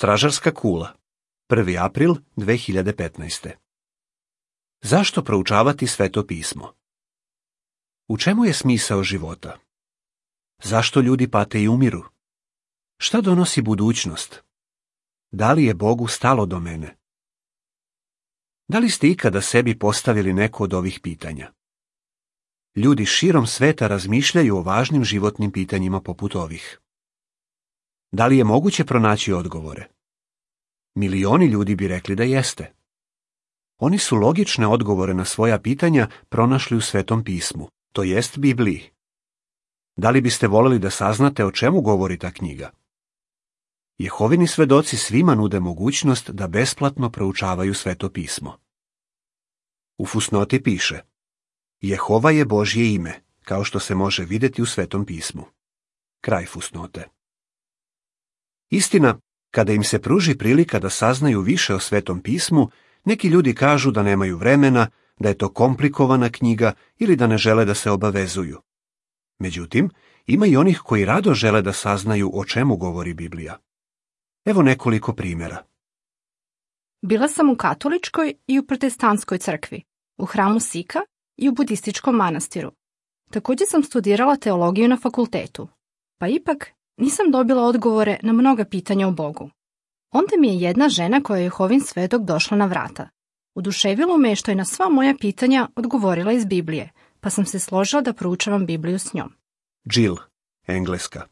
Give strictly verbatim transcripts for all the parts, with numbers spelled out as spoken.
Stražarska kula, prvi april dve hiljade petnaeste. Zašto proučavati Sveto pismo? U čemu je smisao života? Zašto ljudi pate i umiru? Šta donosi budućnost? Da li je Bogu stalo do mene? Da li ste ikada sebi postavili neko od ovih pitanja? Ljudi širom sveta razmišljaju o važnim životnim pitanjima poput ovih. Da li je moguće pronaći odgovore? Milioni ljudi bi rekli da jeste. Oni su logične odgovore na svoja pitanja pronašli u Svetom pismu, to jest Bibliji. Da li biste voljeli da saznate o čemu govori ta knjiga? Jehovini svedoci svima nude mogućnost da besplatno proučavaju Sveto pismo. U fusnoti piše: Jehova je Božje ime, kao što se može vidjeti u Svetom pismu. Kraj fusnote. Istina, kada im se pruži prilika da saznaju više o Svetom pismu, neki ljudi kažu da nemaju vremena, da je to komplikovana knjiga ili da ne žele da se obavezuju. Međutim, ima i onih koji rado žele da saznaju o čemu govori Biblija. Evo nekoliko primjera. Bila sam u katoličkoj i u protestantskoj crkvi, u hramu Sika i u budističkom manastiru. Također sam studirala teologiju na fakultetu, pa ipak nisam dobila odgovore na mnoga pitanja o Bogu. Onda mi je jedna žena koja je Jehovin svedok došla na vrata. Oduševilo me je što je na sva moja pitanja odgovorila iz Biblije, pa sam se složila da proučavam Bibliju s njom. Jill, Engleska.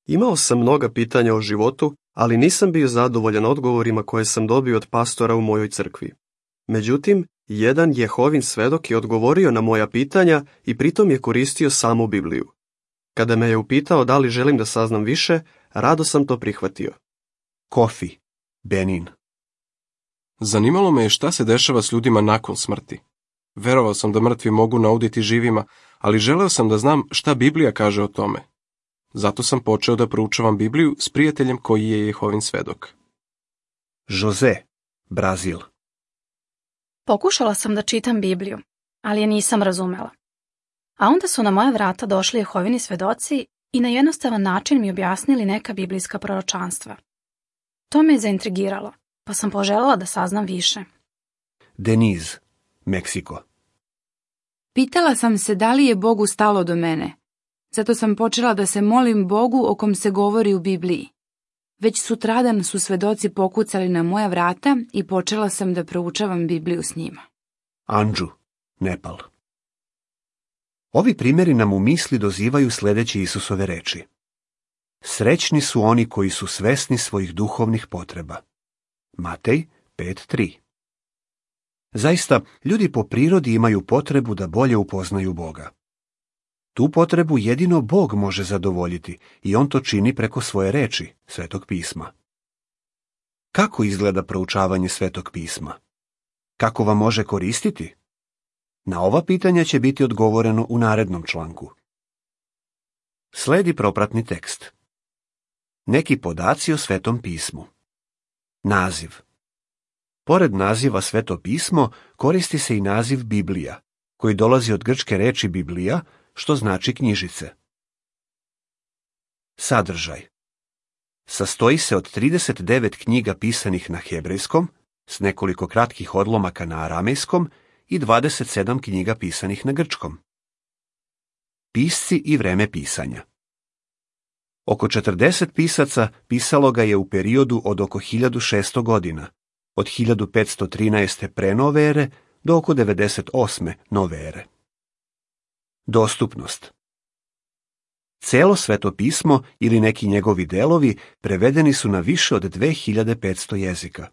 Imao sam mnoga pitanja o životu, ali nisam bio zadovoljan odgovorima koje sam dobio od pastora u mojoj crkvi. Međutim, jedan Jehovin svedok je odgovorio na moja pitanja i pritom je koristio samu Bibliju. Kada me je upitao da li želim da saznam više, rado sam to prihvatio. Kofi, Benin. Zanimalo me je šta se dešava s ljudima nakon smrti. Verovao sam da mrtvi mogu nauditi živima, ali želeo sam da znam šta Biblija kaže o tome. Zato sam počeo da proučavam Bibliju s prijateljem koji je Jehovin svedok. Jose, Brazil. Pokušala sam da čitam Bibliju, ali je nisam razumela. A onda su na moja vrata došli Jehovini svedoci i na jednostavan način mi objasnili neka biblijska proročanstva. To me je zaintrigiralo, pa sam poželjela da saznam više. Deniz, Meksiko. Pitala sam se da li je Bogu stalo do mene. Zato sam počela da se molim Bogu o kom se govori u Bibliji. Već sutradan su svedoci pokucali na moja vrata i počela sam da proučavam Bibliju s njima. Anđu, Nepal. Ovi primjeri nam u misli dozivaju sljedeće Isusove reči. Srećni su oni koji su svesni svojih duhovnih potreba. Matej pet tri. Zaista, ljudi po prirodi imaju potrebu da bolje upoznaju Boga. Tu potrebu jedino Bog može zadovoljiti i on to čini preko svoje reči, Svetog pisma. Kako izgleda proučavanje Svetog pisma? Kako vam može koristiti? Na ova pitanja će biti odgovoreno u narednom članku. Sledi propratni tekst. Neki podaci o Svetom pismu. Naziv. Pored naziva Sveto pismo koristi se i naziv Biblija, koji dolazi od grčke reči Biblija, što znači knjižice. Sadržaj. Sastoji se od trideset devet knjiga pisanih na hebrejskom, s nekoliko kratkih odlomaka na aramejskom i dvadeset sedam knjiga pisanih na grčkom. Pisci i vreme pisanja. Oko četrdeset pisaca pisalo ga je u periodu od oko hiljadu šesto godina, od hiljadu petsto trinaeste pre nove ere do oko devedeset osme nove ere. Dostupnost. Celo Sveto pismo ili neki njegovi delovi prevedeni su na više od dve hiljade petsto jezika.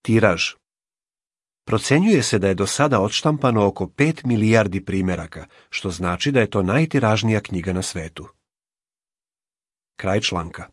Tiraž. Procenjuje se da je do sada odštampano oko pet milijardi primjeraka, što znači da je to najtiražnija knjiga na svetu. Kraj članka.